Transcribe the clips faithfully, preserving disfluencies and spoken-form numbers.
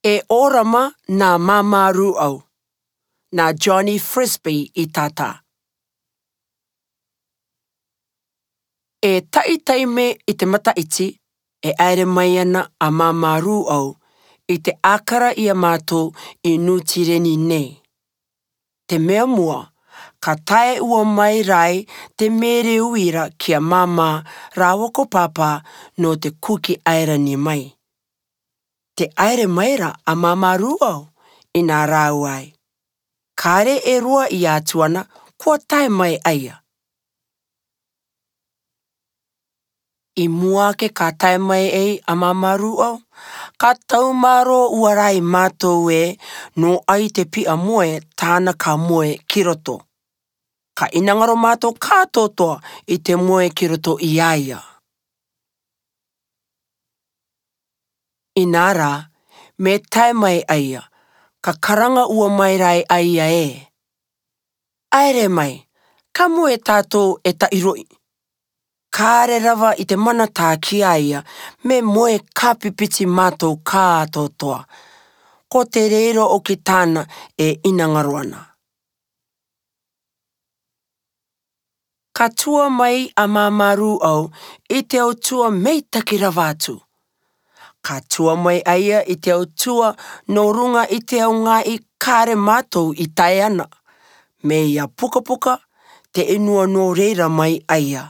E 'Orama na Māmārū'au, na Johnny Frisbie i tata. E ta'i taime i te mata'iti, e 'aere mai ana a māmārū'au i te 'ākara i a mātou i Nū Tireni nei. Te mea mua, ka tae ua mai rāi te mēreuira ki a māmā rāua ko pāpā nō te Kuki Airani mai. Te 'aere mai ra a māmārū'au, i nā rāua ai. Kāre e rua i a atu ana, kua tae mai a ia. I mua ake ka tae mai ai a māmārū'au, ka taumārō ua rāi mātou ē, nō ai te pi'a moe tāna ka moe ki roto. Ka 'inangaro mātou kātoatoa i te moe ki roto i a ia. I nā rā, me tae mai a ia, ka karanga ua mai rāi a ia ē. 'Aere mai, ka moe tātou e ta'i ro'i. Kāre rava i te manatā ki a ia, me moe kāpipiti mātou kātoatoa. Ko te reira 'oki tāna e 'inangaro ana. Ka tua mai a māmārū'au i te autua meitaki rava atu. Ka tua mai a ia i te autua nō ruŋa i te ao ŋā'i kāre mātou i tae ana. Meia pukapuka, te 'inua nō reira mai a ia.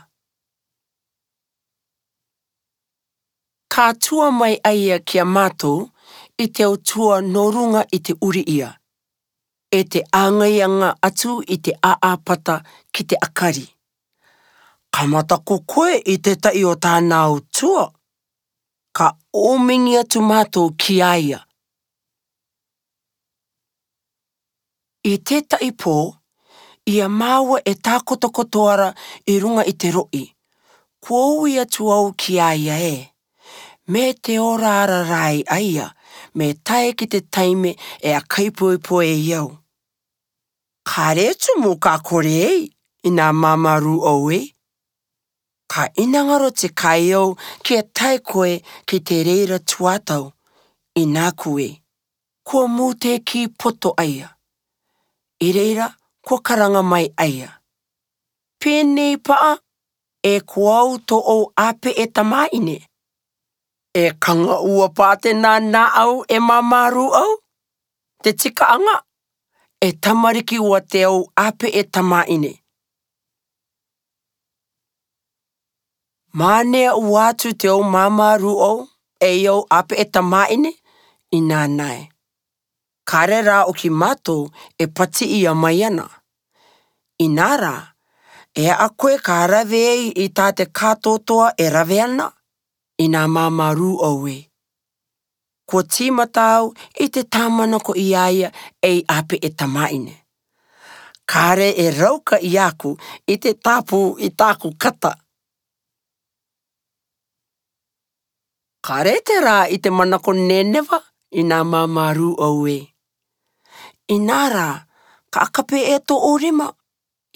Ka tua mai a ia ki a mātou i te autua nō ruŋa i te 'uri ia, e te 'āŋai aŋa atu i te 'ā'āpata ki te 'akari. Ka mataku koe i te ta'i o tāna autua. Ka 'ōmiŋi atu mātou ki a ia. I te ta'i pō, i a māua e tākotokoto ara i ruŋa i te ro'i. Kua ui atu au ki a ia ē. Me te ora ara rāi a ia, me tae ki te taime e a kaipoepoe i au. Kāre tumu ka kore ei, i nā māmārū'au ē. Ka 'inangaro te kai au ki a tae koe ki te reira tuatau, i nāku ē. Kua mūtēkī poto a ia. I reira, kua karanga mai a ia. Pēnei pa'a, e ko au tō'ou 'āpe'e tamā'ine. E kaŋa ua pātenā nā au e māmārū'au. Te tika aŋa, e tamariki ua te au 'āpe'e tamā'ine. Mānea ua atu te au māmārū'au, e i au 'āpe'e tamā'ine, i nānae. Kāre rā 'oki mātou e pati'i mai ana. I nā rā, e a koe ka rave ei i tā te kātoatoa e rave ana, i nā māmārū'au ē. Kua tīmata au i te tāmanako i a ia ei 'āpe'e tamā'ine. Kāre e rauka i a aku i te tāpū i tā'aku kata. Kāre te rā i te manako neneva, i nā māmārū'au ē. I nā rā, ka 'aka pē e tō'ou rima,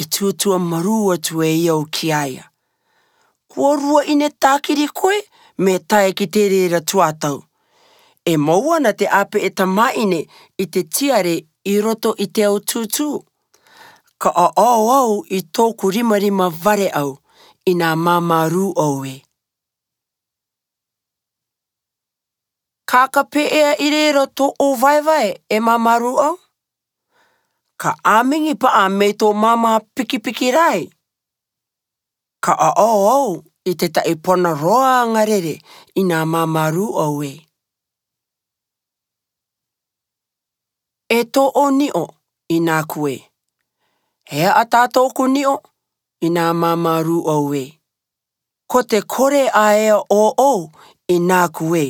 i tūtua marū atu e i au ki a ia. Kua rua 'ine tākiri koe, me tae ki te reira tuatau. E mou ana te 'āpe'e tamā'ine i te tiare i roto i te ao tūtū. Ka 'a'ao au i tō'oku rimarima vare au, i nā māmārū'au ē. Ka 'aka pē e a i reira tō'ou vaevae e māmārū'au. Ka 'āmiŋi pa'a me tō māmā pikipiki rāi. Ka 'a'ao au i te ta'i pona roa aŋa rere, i nā māmārū'au ē. E tō'ou ni'o, i nāku ē. He 'ata tō'oku ni'o, i nā māmārū'au ē. Ko te kore a ea 'ō'ou, i nāku ē.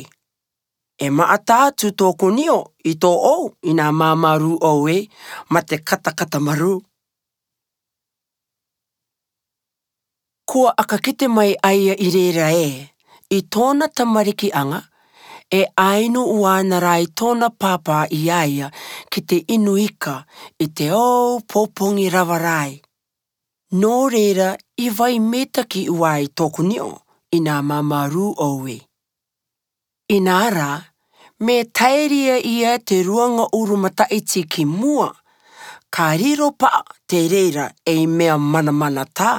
E ma'ata atu tō'oku ni'o i tō'ou, i nā māmārū'au ē, ma te katakata marū. Kua 'aka kite mai a ia i reira ē, i tō'ona tamariki aŋa, e a inu uana rāi tō'ona pāpā i a ia ki te inu ika i te ao pōpoŋi rava rāi. Nō reira i vai meitaki uai tō'oku ni'o, i nā māmārū'au ē. I nā rā, Me taeria ia te ruanga urumataʻiti ki mua, ka riro paʻa te reira ei mea manamanatā.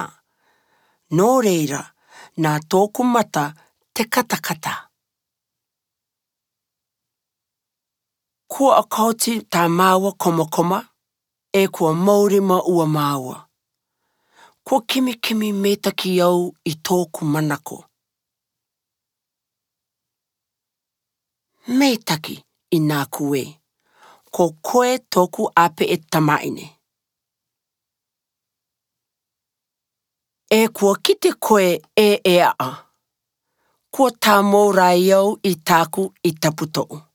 Nō reira, nā tōʻoku mata te katakata. Kua ʻakaoti tā māua komakoma, ʻe kua maurima ua māua. Kua kimikimi meitaki au i tōʻoku manako. Meitaki, ʻinā ko ē, ko koe tōʻoku ʻāpeʻe tamaʻine. ʻE kua kite koe ē e aʻa. Kua tāmau rā au i tāʻoku i taputoʻu.